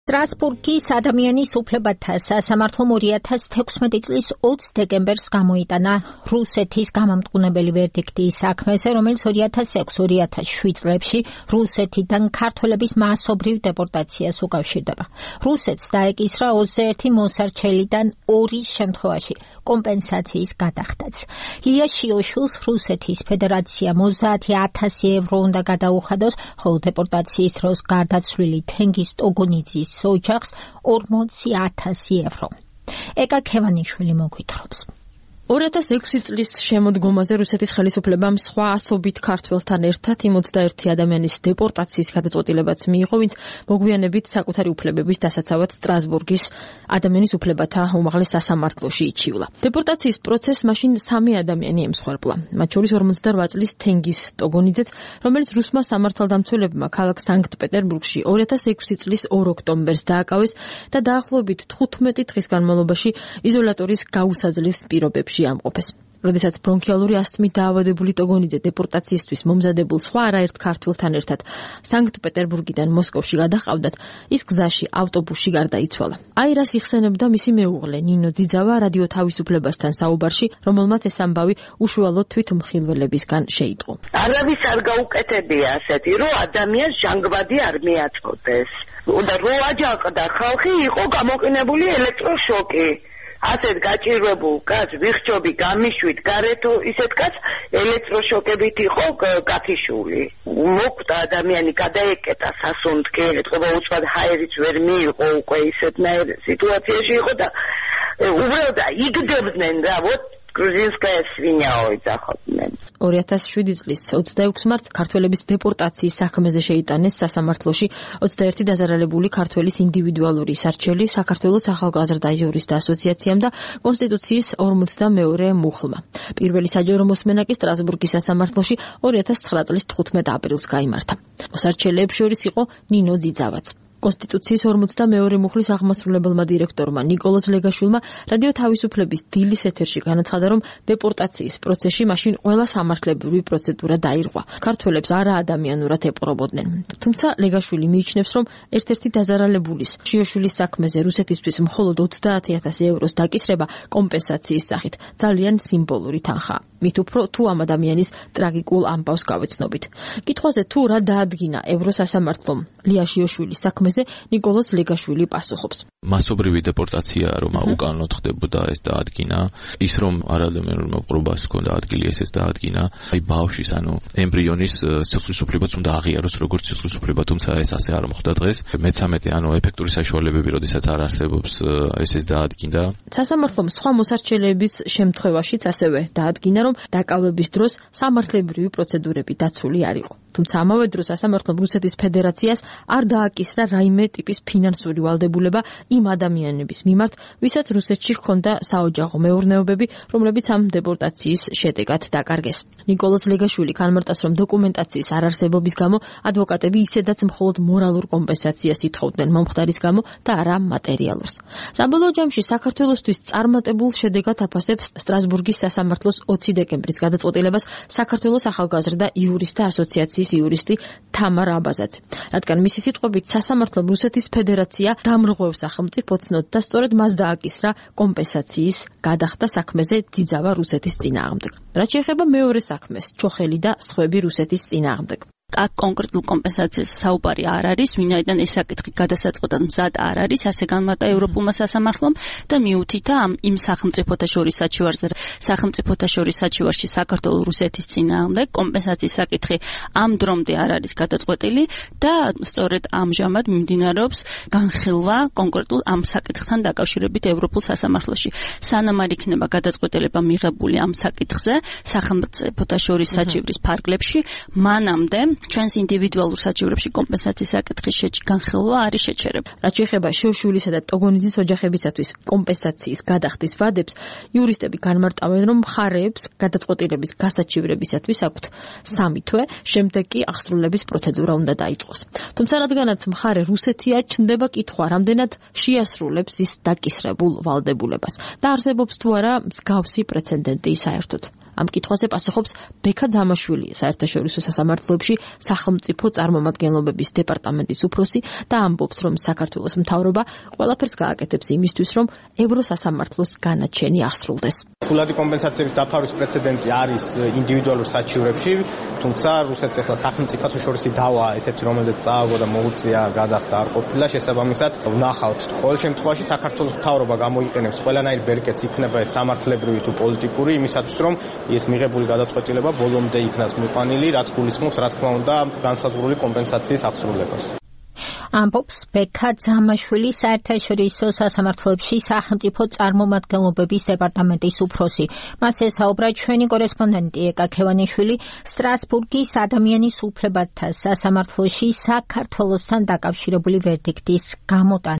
სტრასბურგის ადამიანის უფლებათა სასამართლომ 2016 წლის 20 დეკემბერს გამოიტანა რუსეთის გამამტყუნებელი ვერდიქტი საქმეზე, რომელიც 2006-2007 წლებში რუსეთიდან ქართველების მასობრივ დეპორტაციას უკავშირდება. რუსეთს დაეკისრა 21 მოსარჩელიდან 2 შემთხვევაში კომპენსაციის გადახდაც. ლია შიოშვილს რუსეთის ფედერაცია 30,000 ევრო უნდა გადაუხადოს, ხოლო დეპორტაციის დროს გარდაცვლილი თენგიზ ტოგონიძის ოჯახს 40,000 ევრო. ეკა ქევანიშვილი მოგვითხრობს. 2006 წლის შემოდგომაზე რუსეთის ხელისუფლებამ სხვა ასობით ქართველთან ერთად 21 ადამიანის დეპორტაციის გადაწყვეტილებაც მიიღო, ვინც მოგვიანებით საკუთარი უფლებების დასაცავად სტრასბურგის ადამიანის უფლებათა უმაღლეს სასამართლოში იჩივლა. დეპორტაციის პროცესს მაშინ 3 ადამიანი ემსხვერპლა, მათ შორის 48 წლის თენგიზ ტოგონიძეც, რომელიც რუსმა სამართალდამცველებმა ქალაქ სანქტ-პეტერბურგში 2006 წლის 2 ოქტომბერს დააკავეს და დაახლოებით 15 დღის განმავლობაში იზოლატორის გაუსაძლის პირობებში ამყოფეს. როდესაც ბრონქიალური ასთმით დაავადებული ტოგონიძე დეპორტაციისთვის მომზადებულ სხვა არაერთ ქართველთან ერთად სანქტ-პეტერბურგიდან მოსკოვში გადაჰყავდათ, ის გზაში ავტობუსში გარდაიცვალა. აირას იხსენებდა მისი მეუღლე ნინო ძიძავა რადიო თავისუფლებასთან საუბარში, რომელმაც ეს ამბავი უშუალოდ თვითმხილველებისგან შეიტყო. არავის არ გაუკეთებია ასეთი, რომ ადამიანს ჟანგბადი არ მიაწოდეს. და რო აჯანყდა ხალხი, იყო გამოყენებული ელექტროშოკი. ასეთ გაჭირვებულ კაცს ვიხჯობი გამიშვით გარეთო ისეთ კაცს ელექტროშოკებით იყო გათიშული. მოკვდა ადამიანი, გადაეკეტა სასუნთქი, ეთქობა უცბად ჰაერიც ვერ მიიღო, უკვე ისეთნაირ სიტუაციაში იყო და უბრალოდ იგდებდნენ რა, ვოთ გრუზინსკაია სვინიაო იძახოდნენ. 2007 წლის 26 მარტს ქართველების დეპორტაციის საქმეზე შეიტანეს სასამართლოში 21 დაზარალებული ქართველის ინდივიდუალური სარჩელი საქართველოს ახალგაზრდა იურისტთა ასოციაციამ და კონსტიტუციის 42 მუხლმა. პირველი საჯარო მოსმენა კი სტრასბურგის სასამართლოში 2009 წლის 15 აპრილს გაიმართა. მოსარჩელეებს შორის იყო ნინო ძიძავაც. კონსტიტუციის 42 მუხლის აღმასრულებელმა დირექტორმა ნიკოლოზ ლეგაშვილმა რადიო თავისუფლების დილის ეთერში განაცხადა, რომ დეპორტაციის პროცესში მაშინ ყველა სამართლებრივი პროცედურა დაირღვა. ქართველებს არა ადამიანურად ეპყრობოდნენ. თუმცა ლეგაშვილი მიიჩნევს, რომ ერთ-ერთი დაზარალებულის შიოშვილის საქმეზე რუსეთისთვის მხოლოდ 30,000 ევროს დაკისრება კომპენსაციის სახით ძალიან სიმბოლური თანხაა. მით უფრო თუ ამ ადამიანის ტრაგიკულ ამბავს გავეცნობით. კითხვაზე თუ რა დაადგინა ევროსასამართლომ ლია შიოშვილის საქმეზე ნიკოლოზ ლეგაშვილი პასუხობს. მასობრივი დეპორტაცია რომ უკანონოდ ხდებოდა, ეს დაადგინა. ის რომ არადამიანურ მოპყრობას ჰქონდა ადგილი, ეს დაადგინა. აი ბავშვის, ანუ ემბრიონის სიცოცხლისუფლებაც უნდა აღიაროს როგორც სიცოცხლისუფლება, თუმცა ეს ასე არ მოხდა დღეს. მე-13, ანუ ეფექტური საშუალებები, როდესაც არ არსებობს, ეს დაადგინდა. სასამართლომ სხვა მოსარჩელეების შემთხვევაშიც ასევე დაადგინა, რომ დაკავების დროს სამართლებრივი პროცედურები დაცული არ იყო. თუმცა ამავე დროს სასამართლომ რუსეთის ფედერაციას არ დააკისრა რაიმე ტიპის ფინანსური ვალდებულება იმ ადამიანების მიმართ, ვისაც რუსეთში ჰქონდა საოჯახო მეურნეობები, რომლებიც ამ დეპორტაციის შედეგად დაკარგეს. ნიკოლოზ ლეგაშვილი განმარტავს, რომ დოკუმენტაციის არარსებობის გამო ადვოკატები ისედაც მხოლოდ მორალურ კომპენსაციას ითხოვდნენ მომხდარის გამო და არა მატერიალურს. საბოლოო ჯამში საქართველოსთვის წარმატებულ შედეგად აფასებს სტრასბურგის სასამართლოს 20 დეკემბრის გადაწყვეტილებას საქართველოს ახალგაზრდა იურისტთა ასოციაციის იურისტი თამარ აბაზაძე. რადგან მისი სიტყვებით სასამართლომ რუსეთის ფედერაცია დამრღვევ სახელმწიფოს ცნობდა და სწორედ მას დააკისრა კომპენსაციის გადახდა საქმეზე ძიძავა რუსეთის წინააღმდეგ. რაც შეეხება მეორე საქმეს, ჩოხელი და სხვები რუსეთის წინააღმდეგ. აქ კონკრეტულ კომპენსაციას საუბარი არ არის, ვინაიდან ეს საკითხი გადასაწყვეტად მზად არ არის, ასე განმარტა ევროპულმა სასამართლომ და მიუთითა იმ სახელმწიფოთა შორის საჩივარში საქართველოს რუსეთის წინააღმდეგ კომპენსაციის საკითხი ამ დრომდე არ არის გადაწყვეტილი და სწორედ ამჟამად მიმდინარეობს განხილვა კონკრეტულ ამ საკითხთან დაკავშირებით ევროპულ სასამართლოში. სანამ არ იქნება გადაწყვეტილება მიღებული ამ საკითხზე სახელმწიფოთა შორის საჩივრის ფარგლებში, მანამდე ჩვენს ინდივიდუალურ საჩივრებში კომპენსაციის საკითხის განხილვა არის შეჩერებული. რაც შეეხება შიოშვილისა და ტოგონიძის ოჯახებისათვის კომპენსაციის გადახდის ვადებს, იურისტები განმარტავენ, რომ მხარეებს გადაწყვეტილების გასაჩივრებისათვის აქვთ 3 თვე, შემდეგ კი აღსრულების პროცედურა უნდა დაიწყოს. თუმცა რადგანაც მხარე რუსეთია, ჩნდება კითხვა, რამდენად შეასრულებს ის დაკისრებულ ვალდებულებას და არსებობს თუ არა მსგავსი პრეცედენტი საერთოდ. ამ კითხვაზე პასუხობს ბექა ძამაშვილი, საერთაშორისო სასამართლოებში სახელმწიფო წარმომადგენლობების დეპარტამენტის უფროსი და ამბობს, რომ საქართველოს მთავრობა ყველაფერს გააკეთებს იმისთვის, რომ ევროსასამართლოს განაჩენი აღსრულდეს. ფულადი კომპენსაციების დაფარვის პრეცედენტი არის ინდივიდუალურ საჩივრებში, თუმცა რუსეთს ახლა სახელმწიფოთა შორისი დავა, ესეთი რომელზეც წააგო და მოუწია გადახდა არ ყოფილა, შესაბამისად ვნახავთ. ყოველ შემთხვევაში საქართველოს მთავრობა გამოიყენებს ყველანაირ ბერკეტს, იქნება ეს სამართლებრივი თუ პოლიტიკური, იმისათვის რომ ეს მიღებული გადაწყვეტილება ბოლომდე იქნას მიყვანილი, რაც გულისხმობს, რა თქმა უნდა, განსაზღვრული კომპენსაციის აღსრულებას. ამბობს ბექა ძამაშვილი, საერთაშორისო სასამართლოებში სახელმწიფო წარმომადგენლობების დეპარტამენტის უფროსი. მას ესაუბრა ჩვენი კორესპონდენტი ეკა ქევანიშვილი სტრასბურგის ადამიანის უფლებათა სასამართლოში საქართველოსთან დაკავშირებული ვერდიქტის გამოტანის